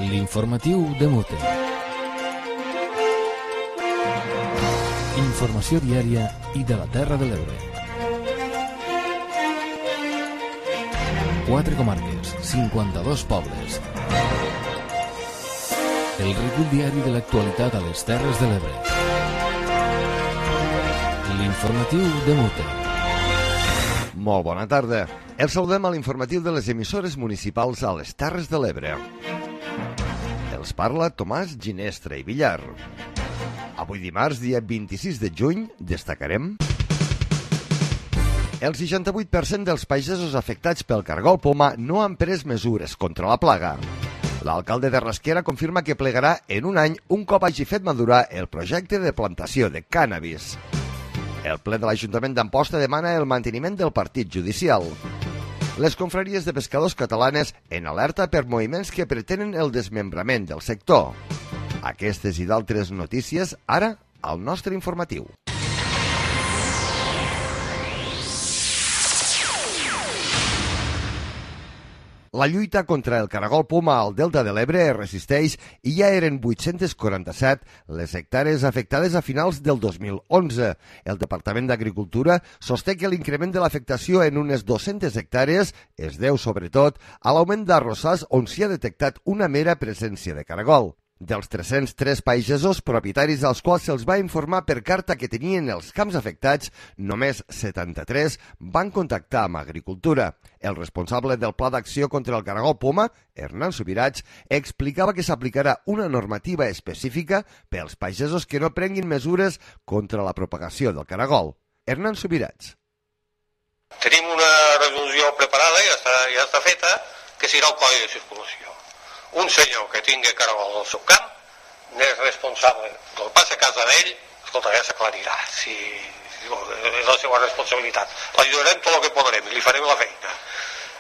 L'informatiu de Mute. Informació diària i de la Terra de l'Ebre. 4 comarques, 52 pobles. El recull diari de l'actualitat a les Terres de l'Ebre. L'informatiu de Mute. Molt bona tarda. Els saludem a l'informatiu de les emissores municipals a les Terres de l'Ebre. Els parla Tomàs Ginestra i Villar. Avui dimarts, dia 26 de juny, destacarem: el 68% dels pagesos afectats pel cargol poma no han pres mesures contra la plaga. L'alcalde de Rasquera confirma que plegarà en un any un cop hagi fet madurar el projecte de plantació de cànnabis. El ple de l'Ajuntament d'Amposta demana el manteniment del partit judicial. Les confraries de pescadors catalanes en alerta per moviments que pretenen el desmembrament del sector. Aquestes i d'altres notícies ara al nostre informatiu. La lluita contra el caragol poma al Delta de l'Ebre es resisteix i ja eren 847 les hectàrees afectades a finals del 2011. El Departament d'Agricultura sosté que l'increment de l'afectació en unes 200 hectàrees es deu, sobretot, a l'augment d'arrossars on s'hi ha detectat una mera presència de caragol. Dels 303 pagesos propietaris als quals se'ls va informar per carta que tenien els camps afectats, només 73 van contactar amb Agricultura. El responsable del Pla d'Acció contra el Caragol poma, Hernán Subirats, explicava que s'aplicarà una normativa específica per als pagesos que no prenguin mesures contra la propagació del caragol. Hernán Subirats. Tenim una resolució preparada, ja està feta, que serà el codi de circulació. Un senyor que tingui caragol al seu camp n'és responsable. El que passa a casa d'ell, escolta, ja s'aclarirà. És la seva responsabilitat. L'ajudarem tot el que podrem i li farem la feina.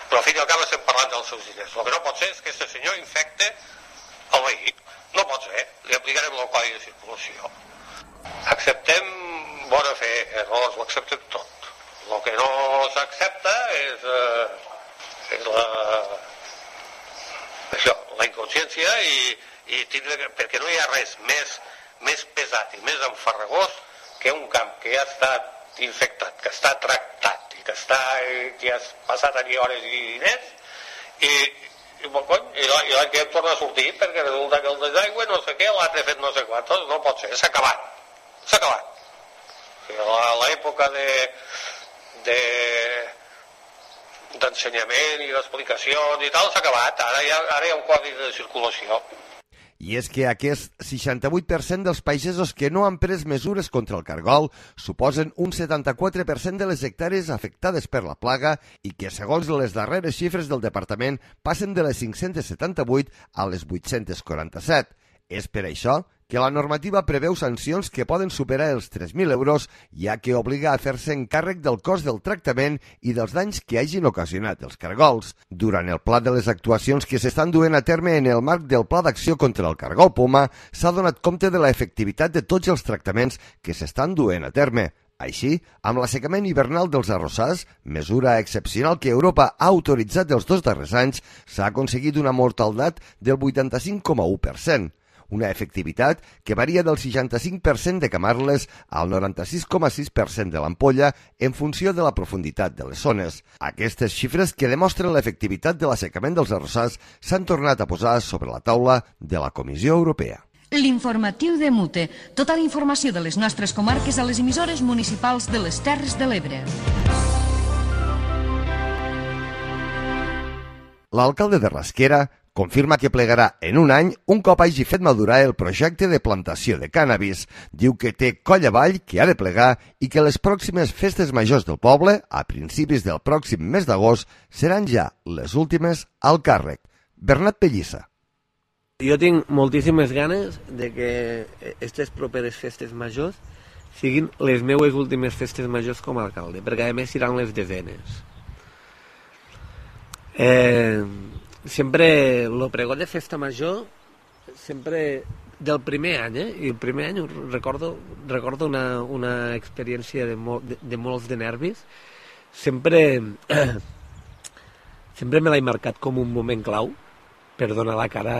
Però al fin i al cap estem parlant dels seus diners. El que no pot ser és que aquest senyor infecte el veí. No pot ser. Li aplicarem el codi de circulació. Acceptem bona fe, errors, ho acceptem tot. El que no s'accepta és la inconsciència i tindre, perquè no hi ha res més pesat i més enfarragós que un camp que ja està infectat, que està tractat i que has passat allí hores i diners i l'any que torna a sortir perquè resulta que el desaigüe no sé què, l'altre fet no sé quantos, no pot ser, s'ha acabat. L'època d'ensenyament i d'explicacions i tal s'ha acabat, ara hi ha un codi de circulació. I és que aquest 68% dels pagesos que no han pres mesures contra el cargol suposen un 74% de les hectàrees afectades per la plaga i que, segons les darreres xifres del departament, passen de les 578 a les 847. És per això que la normativa preveu sancions que poden superar els 3.000 euros, ja que obliga a fer-se encàrrec del cost del tractament i dels danys que hagin ocasionat els cargols. Durant el pla de les actuacions que s'estan duent a terme en el marc del Pla d'Acció contra el Cargol poma, s'ha donat compte de l'efectivitat de tots els tractaments que s'estan duent a terme. Així, amb l'assecament hivernal dels arrossars, mesura excepcional que Europa ha autoritzat els 2 darrers anys, s'ha aconseguit una mortaldat del 85,1%. Una efectivitat que varia del 65% de camarles al 96,6% de l'ampolla en funció de la profunditat de les zones. Aquestes xifres que demostren l'efectivitat de l'assecament dels arrossars s'han tornat a posar sobre la taula de la Comissió Europea. L'informatiu de Mute. Tota la informació de les nostres comarques a les emissores municipals de les Terres de l'Ebre. L'alcalde de Rasquera confirma que plegarà en un any un cop hagi fet madurar el projecte de plantació de cànnabis. Diu que té coll avall que ha de plegar i que les pròximes festes majors del poble, a principis del pròxim mes d'agost, seran ja les últimes al càrrec. Bernat Pellissa. Jo tinc moltíssimes ganes de que aquestes properes festes majors siguin les meues últimes festes majors com a alcalde, perquè a més seran les desenes. Sempre el pregó de festa major, sempre del primer any, i el primer any recordo una experiència de molts de nervis. Sempre me l'he marcat com un moment clau, per donar la cara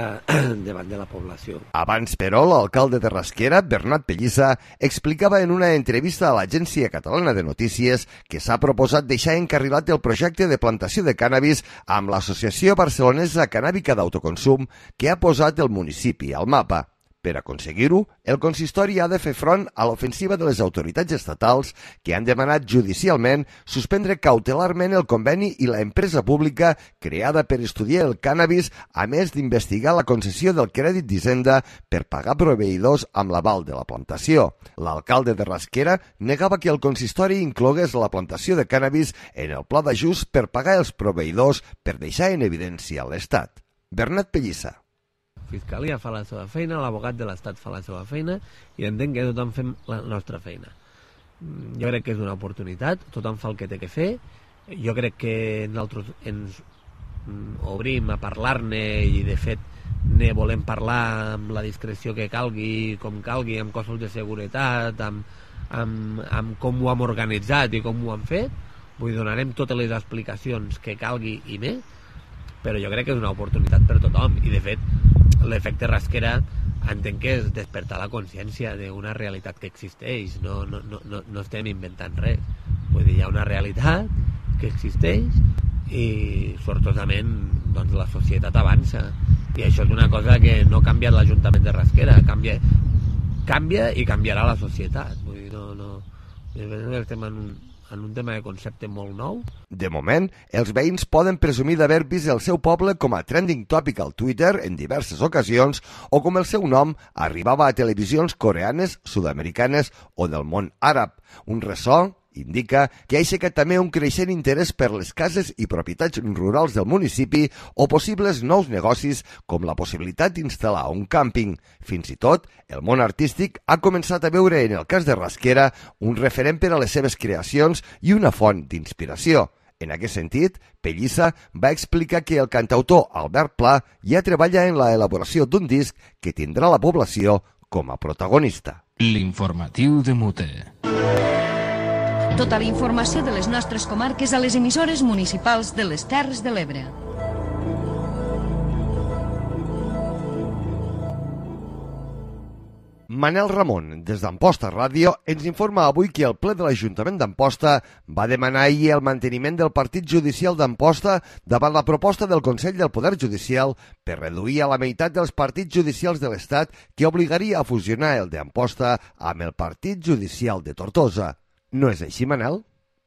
davant de la població. Abans, però, l'alcalde de Rasquera, Bernat Pellissa, explicava en una entrevista a l'Agència Catalana de Notícies que s'ha proposat deixar encarrilat el projecte de plantació de cànnabis amb l'Associació Barcelonesa Cannàbica d'Autoconsum que ha posat el municipi al mapa. Per aconseguir-ho, el consistori ha de fer front a l'ofensiva de les autoritats estatals que han demanat judicialment suspendre cautelarment el conveni i la empresa pública creada per estudiar el cànnabis, a més d'investigar la concessió del crèdit d'Hisenda per pagar proveïdors amb l'aval de la plantació. L'alcalde de Rasquera negava que el consistori inclogués la plantació de cànnabis en el pla d'ajust per pagar els proveïdors per deixar en evidència l'Estat. Bernat Pellissa. La Fiscalia fa la seva feina, l'abogat de l'Estat fa la seva feina i entenc que tothom fem la nostra feina. Jo crec que és una oportunitat, tothom fa el que té que fer. Jo crec que nosaltres ens obrim a parlar-ne i de fet ne volem parlar amb la discreció que calgui, com calgui, amb cossos de seguretat, amb com ho hem organitzat i com ho hem fet. Vull donarem totes les explicacions que calgui i més, però jo crec que és una oportunitat per tothom i de fet l'efecte Rasquera entenc que és despertar la consciència d'una realitat que existeix, no estem inventant res. Vull dir, hi ha una realitat que existeix i sortosament doncs, la societat avança i això és una cosa que no ha canviat l'Ajuntament de Rasquera, canvia i canviarà la societat. Vull dir, estem en un tema de concepte molt nou. De moment, els veïns poden presumir d'haver vist el seu poble com a trending topic al Twitter en diverses ocasions o com el seu nom arribava a televisions coreanes, sud-americanes o del món àrab. Un ressò indica que ha aixecat també un creixent interès per les cases i propietats rurals del municipi o possibles nous negocis com la possibilitat d'instal·lar un càmping. Fins i tot, el món artístic ha començat a veure en el cas de Rasquera un referent per a les seves creacions i una font d'inspiració. En aquest sentit, Pellissa va explicar que el cantautor Albert Pla ja treballa en la elaboració d'un disc que tindrà la població com a protagonista. L'informatiu de Mute. Tota la informació de les nostres comarques a les emissores municipals de les Terres de l'Ebre. Manel Ramon, des d'Amposta Ràdio, ens informa avui que el ple de l'Ajuntament d'Amposta va demanar ahir el manteniment del partit judicial d'Amposta davant la proposta del Consell del Poder Judicial per reduir a la meitat dels partits judicials de l'Estat que obligaria a fusionar el d'Amposta amb el partit judicial de Tortosa. No és així, Manel?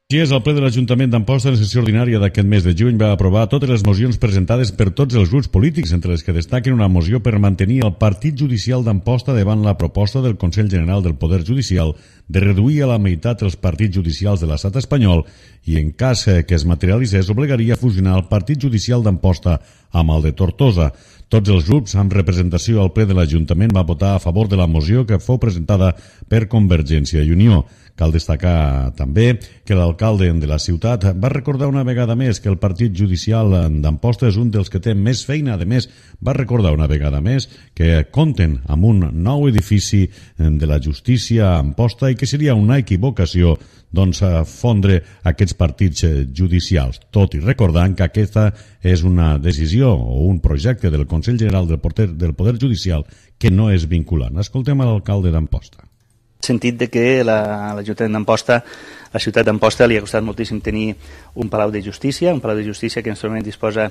Així és, el ple de l'Ajuntament d'Amposta en sessió ordinària d'aquest mes de juny va aprovar totes les mocions presentades per tots els grups polítics, entre les que destaquen una moció per mantenir el Partit Judicial d'Amposta davant la proposta del Consell General del Poder Judicial de reduir a la meitat els partits judicials de l'estat espanyol i, en cas que es materialitzés, obligaria a fusionar el Partit Judicial d'Amposta amb el de Tortosa. Tots els grups amb representació al ple de l'Ajuntament va votar a favor de la moció que fou presentada per Convergència i Unió. Cal destacar també que l'alcalde de la ciutat va recordar una vegada més que el Partit Judicial d'Amposta és un dels que té més feina. A més, va recordar una vegada més que compten amb un nou edifici de la justícia a Amposta i que seria una equivocació fondre aquests partits judicials, tot i recordant que aquesta és una decisió o un projecte del Consell General del Poder Judicial que no és vinculant. Escoltem a l'alcalde d'Amposta. Sentit de que l'Ajuntament d'Amposta, la ciutat d'Amposta, li ha costat moltíssim tenir un palau de justícia que en aquest moment disposa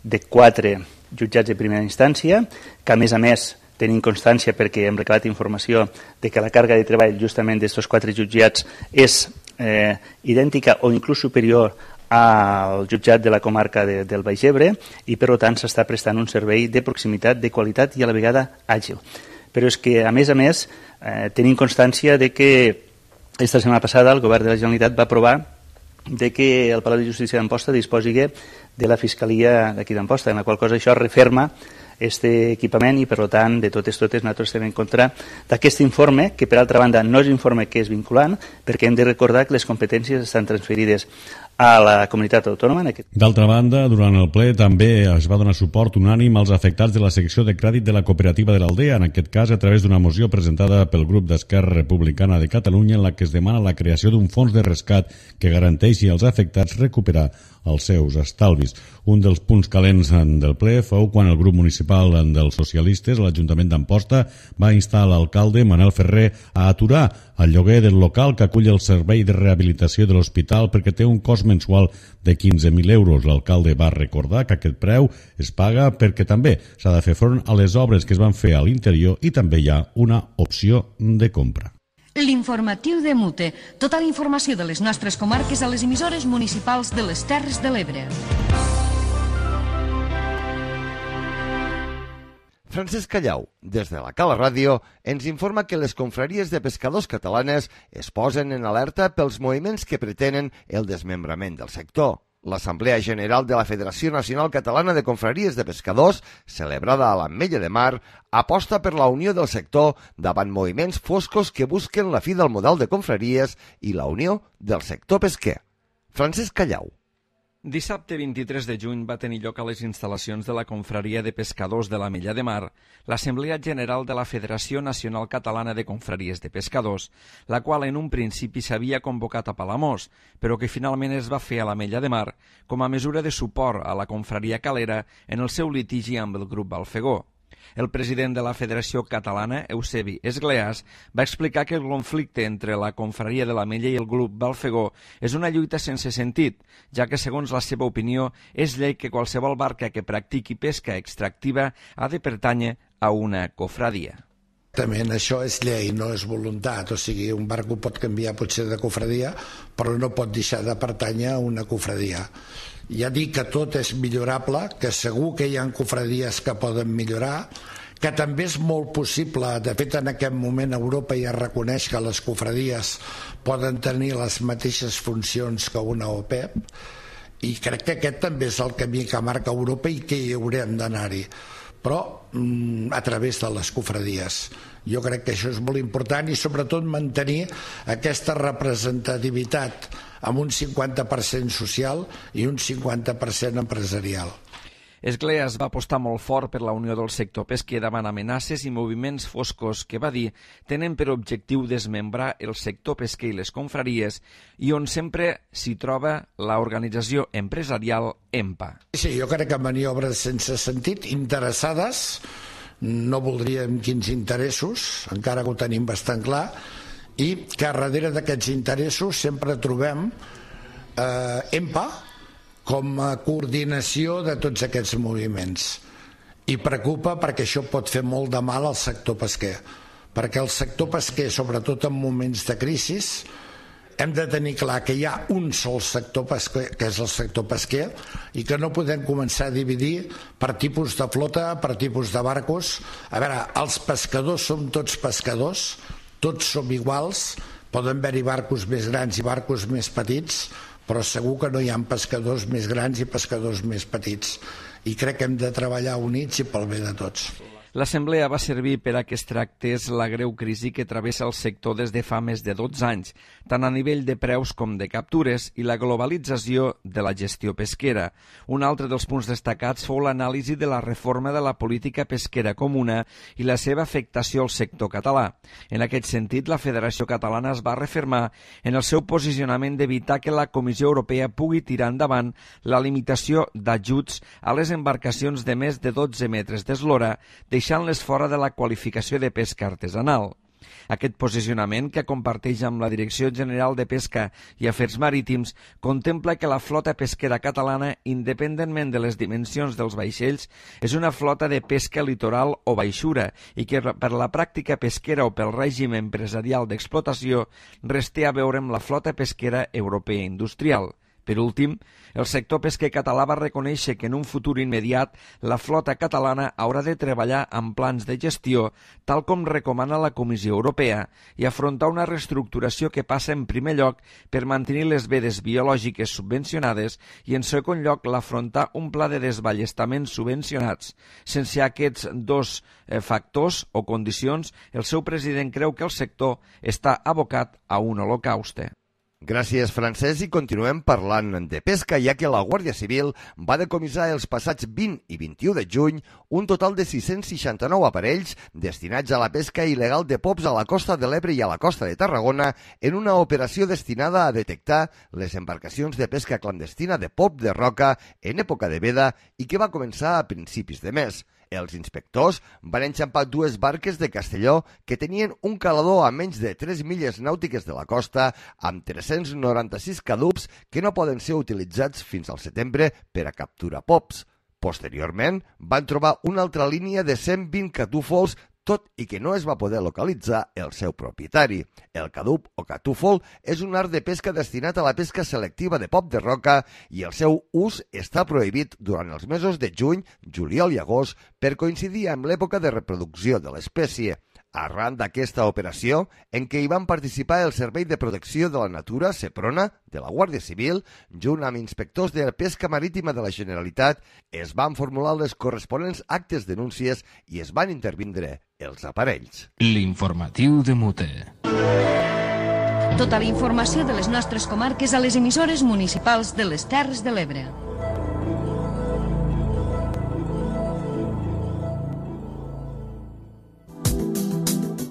de 4 jutjats de primera instància, que a més tenim constància perquè hem recalat informació de que la càrrega de treball justament d'aquests 4 jutjats és idèntica o inclús superior al jutjat de la comarca del Baix Ebre i per tant s'està prestant un servei de proximitat, de qualitat i a la vegada àgil. Però és que a més tenim constància de que esta setmana passada el govern de la Generalitat va aprovar de que el Palau de Justícia d'Amposta disposi de la Fiscalia d'aquí d'Amposta, en la qual cosa això referma aquest equipament i, per tant, de totes nosaltres estem en contra d'aquest informe, que per altra banda no és informe que és vinculant, perquè hem de recordar que les competències estan transferides a la comunitat autònoma. D'altra banda, durant el ple també es va donar suport unànim als afectats de la secció de crèdit de la cooperativa de l'Aldea, en aquest cas a través d'una moció presentada pel grup d'Esquerra Republicana de Catalunya en la que es demana la creació d'un fons de rescat que garanteixi als afectats recuperar els seus estalvis. Un dels punts calents del ple fou quan el grup municipal dels socialistes, l'Ajuntament d'Amposta, va instar l'alcalde Manel Ferrer a aturar el lloguer del local que acull el servei de rehabilitació de l'hospital perquè té un cost mensual de 15.000 euros. L'alcalde va recordar que aquest preu es paga perquè també s'ha de fer front a les obres que es van fer a l'interior i també hi ha una opció de compra. L'informatiu de Mute. Tota la informació de les nostres comarques a les emissores municipals de les Terres de l'Ebre. Francesc Callau, des de la Cala Ràdio, ens informa que les confraries de pescadors catalanes es posen en alerta pels moviments que pretenen el desmembrament del sector. L'Assemblea General de la Federació Nacional Catalana de Confraries de Pescadors, celebrada a l'Ametlla de Mar, aposta per la unió del sector davant moviments foscos que busquen la fi del model de confraries i la unió del sector pesquer. Francesc Callau. Dissabte 23 de juny va tenir lloc a les instal·lacions de la Confraria de Pescadors de l'Ametlla de Mar l'Assemblea General de la Federació Nacional Catalana de Confraries de Pescadors, la qual en un principi s'havia convocat a Palamós, però que finalment es va fer a l'Ametlla de Mar com a mesura de suport a la confraria calera en el seu litigi amb el grup Balfegó. El president de la Federació Catalana, Eusebi Esgleas, va explicar que el conflicte entre la confraria de l'Ametlla i el grup Balfegó és una lluita sense sentit, ja que, segons la seva opinió, és llei que qualsevol barca que practiqui pesca extractiva ha de pertànyer a una cofradia. Exactament, això és llei, no és voluntat, o sigui, un barco pot canviar potser de cofradia, però no pot deixar de pertànyer a una cofradia. Ja dic que tot és millorable, que segur que hi ha cofradies que poden millorar, que també és molt possible, de fet en aquest moment Europa ja reconeix que les cofradies poden tenir les mateixes funcions que una OPEP, i crec que aquest també és el camí que marca Europa i que hi haurem d'anar-hi, però a través de les cofradies. Jo crec que això és molt important i sobretot mantenir aquesta representativitat amb un 50% social i un 50% empresarial. Esgleas va apostar molt fort per la unió del sector pesquer davant amenaces i moviments foscos que, va dir, tenen per objectiu desmembrar el sector pesquer i les confraries i on sempre s'hi troba l'organització empresarial EMPA. Sí, jo crec que maniobres sense sentit, interessades, no voldríem quins interessos, encara que ho tenim bastant clar, i que darrere d'aquests interessos sempre trobem EMPA, com a coordinació de tots aquests moviments. I preocupa perquè això pot fer molt de mal al sector pesquer, perquè el sector pesquer, sobretot en moments de crisi, hem de tenir clar que hi ha un sol sector pesquer, que és el sector pesquer, i que no podem començar a dividir per tipus de flota, per tipus de barcos. A veure, els pescadors som tots pescadors, tots som iguals, poden haver-hi barcos més grans i barcos més petits, però segur que no hi ha pescadors més grans i pescadors més petits. I crec que hem de treballar units i pel bé de tots. L'assemblea va servir per a que es tractés la greu crisi que travessa el sector des de fa més de 12 anys, tant a nivell de preus com de captures i la globalització de la gestió pesquera. Un altre dels punts destacats fou l'anàlisi de la reforma de la política pesquera comuna i la seva afectació al sector català. En aquest sentit, la Federació Catalana es va refermar en el seu posicionament d'evitar que la Comissió Europea pugui tirar endavant la limitació d'ajuts a les embarcacions de més de 12 metres d'eslora, deixant-les fora de la qualificació de pesca artesanal. Aquest posicionament, que comparteix amb la Direcció General de Pesca i Afers Marítims, contempla que la flota pesquera catalana, independentment de les dimensions dels vaixells, és una flota de pesca litoral o baixura i que per la pràctica pesquera o pel règim empresarial d'explotació res té a veure amb la flota pesquera europea industrial. Per últim, el sector pesquer català va reconèixer que en un futur immediat la flota catalana haurà de treballar amb plans de gestió, tal com recomana la Comissió Europea, i afrontar una reestructuració que passa en primer lloc per mantenir les vedes biològiques subvencionades i en segon lloc l'afrontar un pla de desballestaments subvencionats. Sense aquests dos factors o condicions, el seu president creu que el sector està abocat a un holocauste. Gràcies, Francesc, i continuem parlant de pesca, ja que la Guàrdia Civil va decomissar els passats 20 i 21 de juny un total de 669 aparells destinats a la pesca il·legal de pops a la costa de l'Ebre i a la costa de Tarragona en una operació destinada a detectar les embarcacions de pesca clandestina de pop de roca en època de veda i que va començar a principis de mes. Els inspectors van enxampar 2 barques de Castelló que tenien un calador a menys de 3 milles nàutiques de la costa amb 396 cadups que no poden ser utilitzats fins al setembre per a capturar pops. Posteriorment, van trobar una altra línia de 120 catúfols, tot i que no es va poder localitzar el seu propietari. El cadup o catúfol és un art de pesca destinat a la pesca selectiva de pop de roca i el seu ús està prohibit durant els mesos de juny, juliol i agost per coincidir amb l'època de reproducció de l'espècie. Arran d'aquesta operació, en què hi van participar el Servei de Protecció de la Natura, SEPRONA, de la Guàrdia Civil, junt amb inspectors de pesca marítima de la Generalitat, es van formular les corresponents actes denúncies i es van intervindre els aparells. L'informatiu de Mute. Tota la informació de les nostres comarques a les emissores municipals de les Terres de l'Ebre.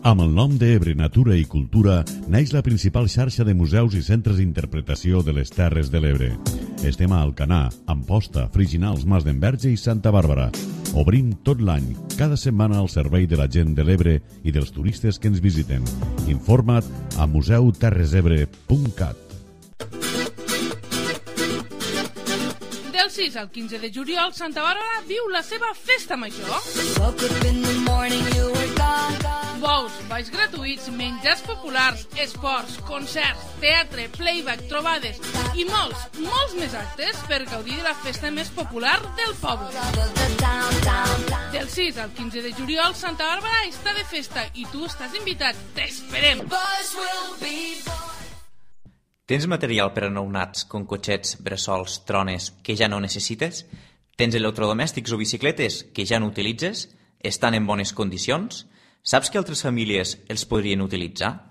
Amb el nom d'Ebre Natura i Cultura naix la principal xarxa de museus i centres d'interpretació de les Terres de l'Ebre. Estem a Alcanar, Amposta, Friginals, Mas d'Enverge i Santa Bàrbara. Obrim tot l'any, cada setmana al servei de la gent de l'Ebre i dels turistes que ens visiten. Informa't a museuterresebre.cat. Del 6 al 15 de juliol, Santa Bàrbara viu la seva festa major. Bous, balls gratuïts, menjars populars, esports, concerts, teatre, playback, trobades i molts més actes per gaudir de la festa més popular del poble. Del 6 al 15 de juliol, Santa Bàrbara està de festa i tu estàs invitat. T'esperem! Tens material per a nounats, com cotxets, bressols, trones, que ja no necessites? Tens electrodomèstics o bicicletes que ja no utilitzes? Estan en bones condicions? Saps que altres famílies els podrien utilitzar?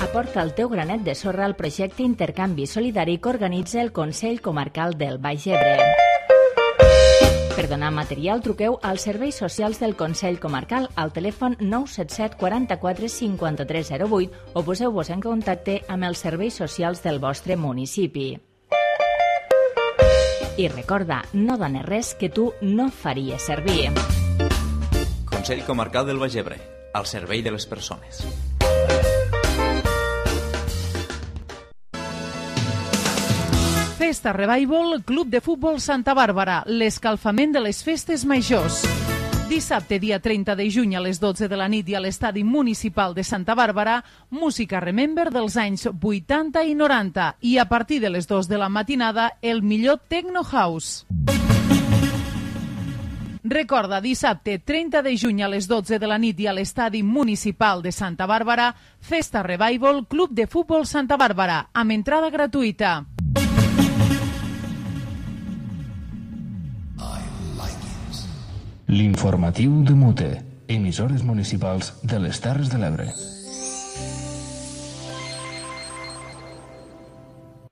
Aporta el teu granet de sorra al projecte Intercanvi Solidari que organitza el Consell Comarcal del Baix Ebre. Per donar material, truqueu als serveis socials del Consell Comarcal al telèfon 977 44 53 08 o poseu-vos en contacte amb els serveis socials del vostre municipi. I recorda, no dones res que tu no faries servir. Consell Comarcal del Baix Ebre, al servei de les persones. Festa Revival, Club de Futbol Santa Bàrbara, l'escalfament de les festes majors. Dissabte, dia 30 de juny a les 12 de la nit i a l'estadi municipal de Santa Bàrbara, música Remember dels anys 80 i 90 i a partir de les 2 de la matinada el millor Techno House. Recorda, dissabte 30 de juny a les 12 de la nit i a l'estadi municipal de Santa Bàrbara, Festa Revival, Club de Futbol Santa Bàrbara, amb entrada gratuïta. L'informatiu de Mute, emissores municipals de les Terres de l'Ebre.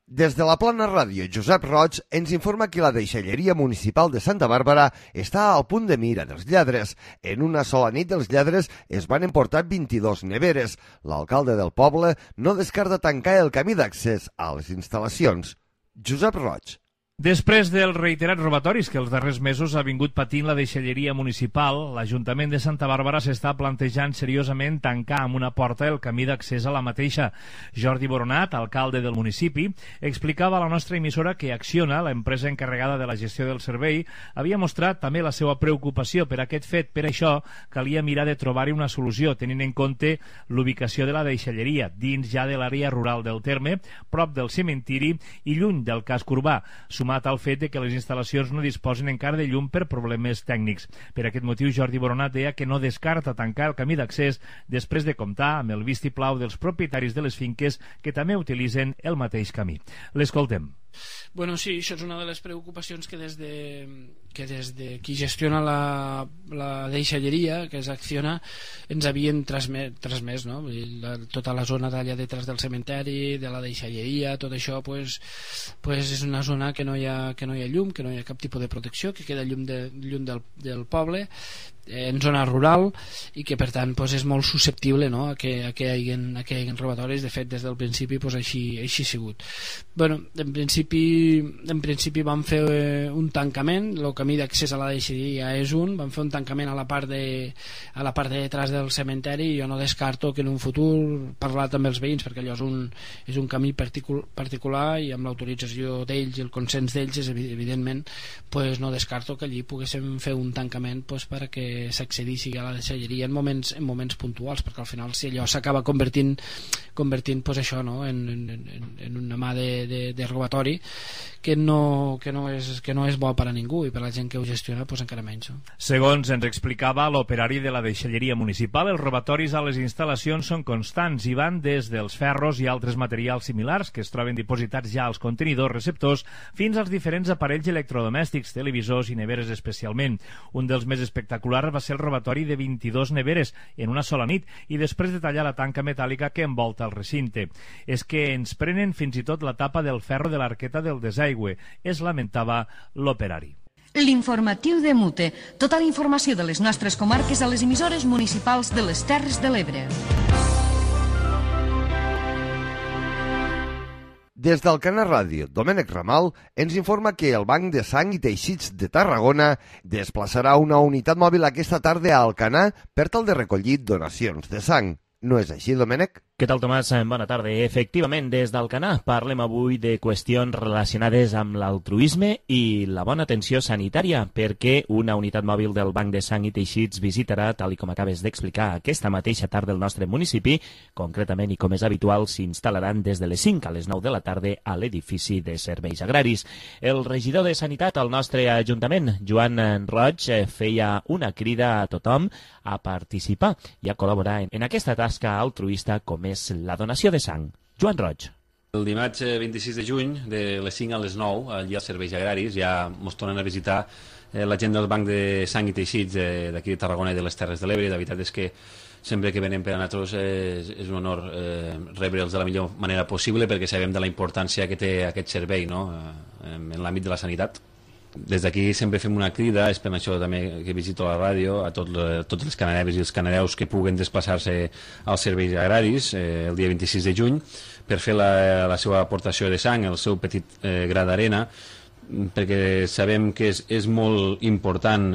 Des de la Plana Ràdio, Josep Roig ens informa que la deixalleria municipal de Santa Bàrbara està al punt de mira dels lladres. En una sola nit els lladres es van emportar 22 neveres. L'alcalde del poble no descarta tancar el camí d'accés a les instal·lacions. Josep Roig. Després dels reiterats robatoris que els darrers mesos ha vingut patint la deixalleria municipal, l'Ajuntament de Santa Bàrbara s'està plantejant seriosament tancar amb una porta el camí d'accés a la mateixa. Jordi Boronat, alcalde del municipi, explicava a la nostra emissora que Acciona, l'empresa encarregada de la gestió del servei, havia mostrat també la seva preocupació per aquest fet. Per això calia mirar de trobar-hi una solució, tenint en compte l'ubicació de la deixalleria, dins ja de l'àrea rural del terme, prop del cementiri i lluny del casc urbà, al fet de que les instal·lacions no disposen encara de llum per problemes tècnics. Per aquest motiu, Jordi Boronat deia que no descarta tancar el camí d'accés després de comptar amb el vistiplau dels propietaris de les finques que també utilitzen el mateix camí. L'escoltem. Bueno, sí, això és una de les preocupacions que des de qui gestiona la deixalleria, que és Acciona, ens havien transmès, no? Tota la zona d'allà detrás del cementeri, de la deixalleria, tot això pues és una zona que no hi ha llum, que no hi ha cap tipus de protecció, que queda lluny del poble, en zona rural, i que per tant és molt susceptible, no? a que hi hagi robatoris. De fet, des del principi així ha sigut. Bueno, en principi vam fer un tancament. El camí d'accés a la deixalleria és vam fer un tancament a la part de detrás del cementeri, i jo no descarto que en un futur, parlar també els veïns, perquè allò és un camí particular, i amb l'autorització d'ells i el consens d'ells, evidentment, no descarto que allí poguéssim fer un tancament perquè s'accedissi a la deixalleria en moments puntuals, perquè al final si allò s'acaba convertint això, no? en una mà de robatori que no és bo per a ningú, i per a la gent que ho gestiona encara menys. Segons ens explicava l'operari de la deixalleria municipal, els robatoris a les instal·lacions són constants i van des dels ferros i altres materials similars que es troben dipositats ja als contenidors receptors fins als diferents aparells electrodomèstics, televisors i neveres especialment. Un dels més espectaculars va ser el robatori de 22 neveres en una sola nit, i després de tallar la tanca metàl·lica que envolta el recinte. És que ens prenen fins i tot la tapa del ferro de l'arqueta del desaigüe, es lamentava l'operari. L'informatiu de Mute. Tota la informació de les nostres comarques a les emissores municipals de les Terres de l'Ebre. Des d'Alcanar Ràdio, Domènec Ramal ens informa que el Banc de Sang i Teixits de Tarragona desplaçarà una unitat mòbil aquesta tarda a Alcanar per tal de recollir donacions de sang. No és així, Domènec? Què tal, Tomàs? Bona tarda. Efectivament, des d'Alcanar parlem avui de qüestions relacionades amb l'altruisme i la bona atenció sanitària, perquè una unitat mòbil del Banc de Sang i Teixits visitarà, tal com acabes d'explicar, aquesta mateixa tarda el nostre municipi. Concretament, i com és habitual, s'instal·laran des de les 5 a les 9 de la tarda a l'edifici de serveis agraris. El regidor de Sanitat al nostre Ajuntament, Joan Roig, feia una crida a tothom a participar i a col·laborar en aquesta tasca altruista com és la donació de sang. Joan Roig. El dimarts 26 de juny, de les 5 a les 9, allà als serveis agraris, ja ens tornen a visitar la gent del Banc de Sang i Teixits d'aquí de Tarragona i de les Terres de l'Ebre. La veritat és que sempre que venen per a nosaltres és un honor rebre'ls de la millor manera possible, perquè sabem de la importància que té aquest servei, no? En l'àmbit de la sanitat. Des d'aquí sempre fem una crida, és per això també que visito la ràdio, a tots les cananeves i els cananeus que puguen desplaçar-se als serveis agraris el dia 26 de juny per fer la seva aportació de sang, el seu petit gra d'arena, perquè sabem que és molt important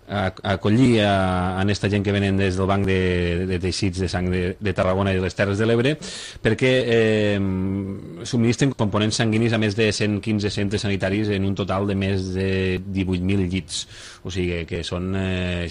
acollir a aquesta gent que venen des del Banc de Teixits de Sang de Tarragona i de les Terres de l'Ebre, perquè subministren components sanguinis a més de 115 centres sanitaris en un total de més de 18.000 llits, o sigui que són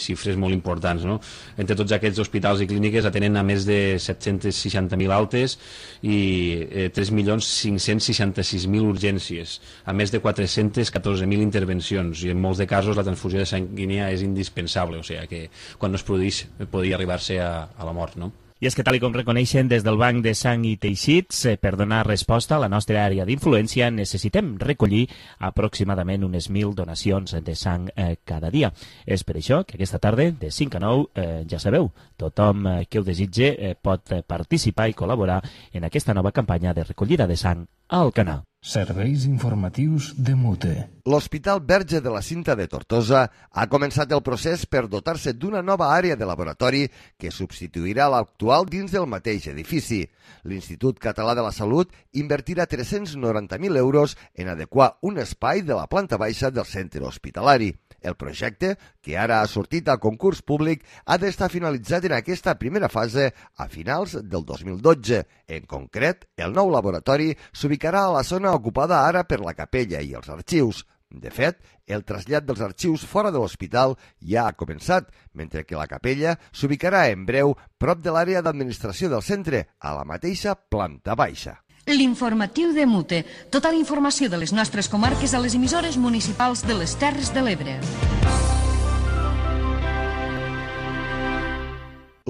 xifres molt importants, no? Entre tots aquests hospitals i clíniques atenen a més de 760.000 altes i 3.566.000 urgències, a més de 414.000 intervencions, i en molts de casos la transfusió de sanguínia és indispensable, o sigui que quan no es produeix podria arribar-se a la mort, no? I és que, tal com reconeixen des del Banc de Sang i Teixits, per donar resposta a la nostra àrea d'influència necessitem recollir aproximadament unes 1.000 donacions de sang cada dia. És per això que aquesta tarda, de 5 a 9, ja sabeu, tothom que ho desitge pot participar i col·laborar en aquesta nova campanya de recollida de sang a Alcanar. Serveis informatius de Mute. L'Hospital Verge de la Cinta de Tortosa ha començat el procés per dotar-se d'una nova àrea de laboratori que substituirà l'actual dins del mateix edifici. L'Institut Català de la Salut invertirà 390.000 euros en adequar un espai de la planta baixa del centre hospitalari. El projecte, que ara ha sortit al concurs públic, ha d'estar finalitzat en aquesta primera fase a finals del 2012. En concret, el nou laboratori s'ubicarà a la zona ocupada ara per la capella i els arxius. De fet, el trasllat dels arxius fora de l'hospital ja ha començat, mentre que la capella s'ubicarà en breu prop de l'àrea d'administració del centre, a la mateixa planta baixa. L'informatiu de Mute. Tota la informació de les nostres comarques a les emissores municipals de les Terres de l'Ebre.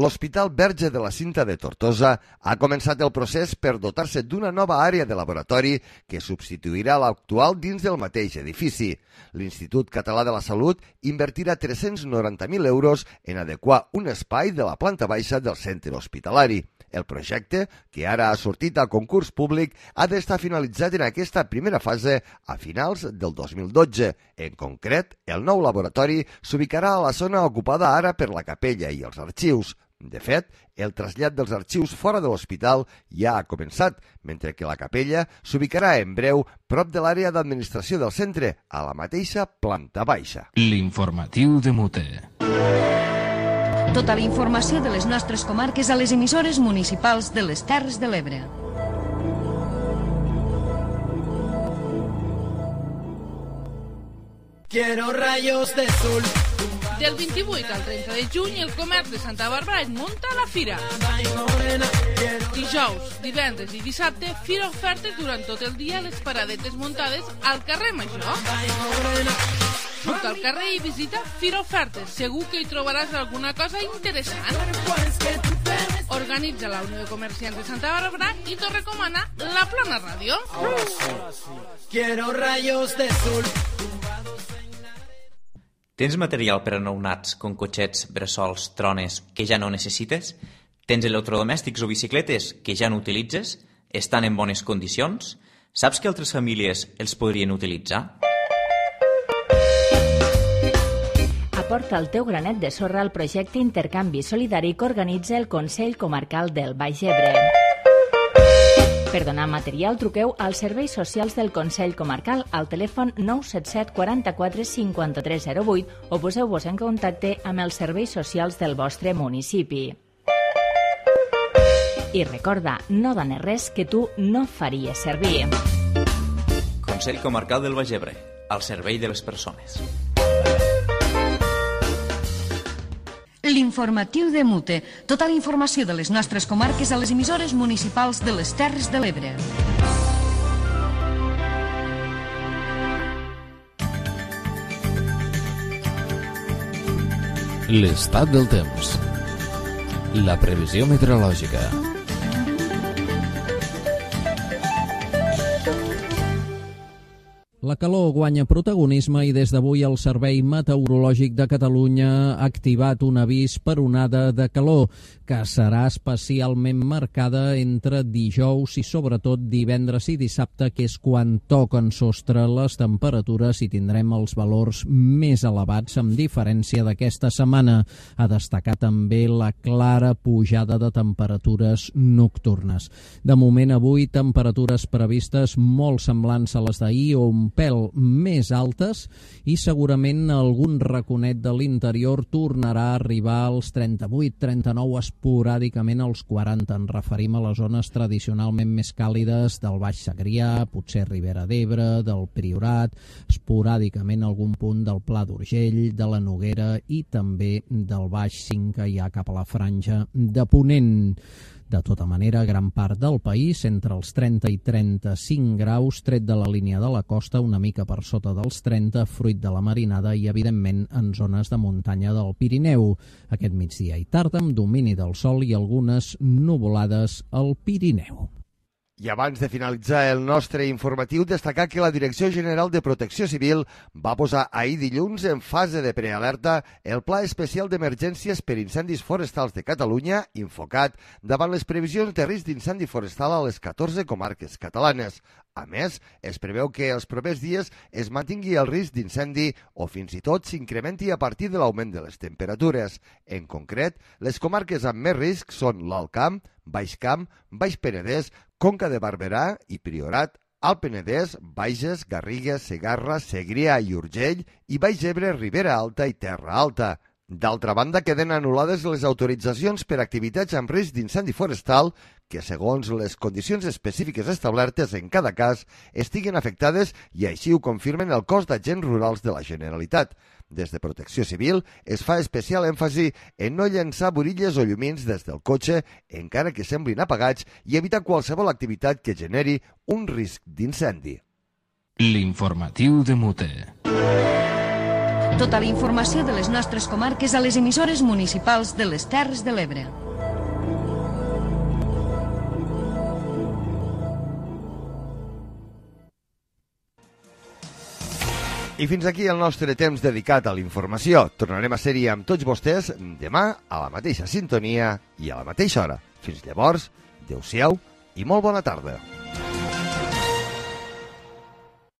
l'Hospital Verge de la Cinta de Tortosa ha començat el procés per dotar-se d'una nova àrea de laboratori que substituirà l'actual dins del mateix edifici. L'Institut Català de la Salut invertirà 390.000 euros en adequar un espai de la planta baixa del centre hospitalari. El projecte, que ara ha sortit al concurs públic, ha d'estar finalitzat en aquesta primera fase a finals del 2012. En concret, el nou laboratori s'ubicarà a la zona ocupada ara per la capella i els arxius. De fet, el trasllat dels arxius fora de l'hospital ja ha començat, mentre que la capella s'ubicarà en breu prop de l'àrea d'administració del centre, a la mateixa planta baixa. L'informatiu de Mute. Tota la informació de les nostres comarques a les emissores municipals de les Terres de l'Ebre. Quiero rayos de sol. Del 28 al 30 de juny, el comerç de Santa Bàrbara es munta a la fira. Dijous, divendres i dissabte, fira ofertes durant tot el dia a les paradetes muntades al carrer Major. Surta al carrer i visita Fira Ofertes. Segur que hi trobaràs alguna cosa interessant. Organitza la Unió de Comerciants de Santa Bàrbara i t'ho recomana La Plana Ràdio. Quiero rayos de sol. Tens material per a nounats com cotxets, bressols, trones que ja no necessites? Tens electrodomèstics o bicicletes que ja no utilitzes? Estan en bones condicions? Saps que altres famílies els podrien utilitzar? Aporta el teu granet de sorra al projecte Intercanvi Solidari que organitza el Consell Comarcal del Baix Ebre. Per donar material, truqueu als serveis socials del Consell Comarcal al telèfon 977 44 53 08 o poseu-vos en contacte amb els serveis socials del vostre municipi. I recorda, no dones res que tu no faries servir. Consell Comarcal del Baix Ebre, al servei de les persones. L'informatiu de Mute. Tota la informació de les nostres comarques a les emissores municipals de les Terres de l'Ebre. L'estat del temps. La previsió meteorològica. La calor guanya protagonisme i des d'avui el Servei Meteorològic de Catalunya ha activat un avís per onada de calor que serà especialment marcada entre dijous i sobretot divendres i dissabte, que és quan toquen sostre les temperatures i tindrem els valors més elevats amb diferència d'aquesta setmana. A destacar també la clara pujada de temperatures nocturnes. De moment avui temperatures previstes molt semblants a les d'ahir o un pèl més altes i segurament algun raconet de l'interior tornarà a arribar als 38-39, esporàdicament als 40. Ens referim a les zones tradicionalment més càlides del Baix Segrià, potser Ribera d'Ebre, del Priorat, esporàdicament algun punt del Pla d'Urgell, de la Noguera i també del Baix Cinca, ja cap a la franja de Ponent. De tota manera, gran part del país, entre els 30 i 35 graus, tret de la línia de la costa, una mica per sota dels 30, fruit de la marinada i, evidentment, en zones de muntanya del Pirineu. Aquest migdia i tarda, amb domini del sol i algunes nuvolades al Pirineu. I abans de finalitzar el nostre informatiu, destacar que la Direcció General de Protecció Civil va posar ahir dilluns en fase de prealerta el Pla Especial d'Emergències per Incendis Forestals de Catalunya, Infocat, davant les previsions de risc d'incendi forestal a les 14 comarques catalanes. A més, es preveu que els propers dies es mantingui el risc d'incendi o fins i tot s'incrementi a partir de l'augment de les temperatures. En concret, les comarques amb més risc són l'Alt Camp, Baix Camp, Baix Penedès, Conca de Barberà i Priorat, Alt Penedès, Bages, Garrigues, Segarra, Segrià i Urgell i Baix Ebre, Ribera Alta i Terra Alta. D'altra banda, queden anul·lades les autoritzacions per activitats amb risc d'incendi forestal que, segons les condicions específiques establertes en cada cas, estiguen afectades i així ho confirmen el cos d'agents rurals de la Generalitat. Des de Protecció Civil es fa especial èmfasi en no llançar burilles o llumins des del cotxe, encara que semblin apagats, i evitar qualsevol activitat que generi un risc d'incendi. L'informatiu de Mute. Tota la informació de les nostres comarques a les emissores municipals de les Terres de l'Ebre. I fins aquí el nostre temps dedicat a la informació. Tornarem a ser-hi amb tots vostès demà a la mateixa sintonia i a la mateixa hora. Fins llavors, adeu-siau i molt bona tarda.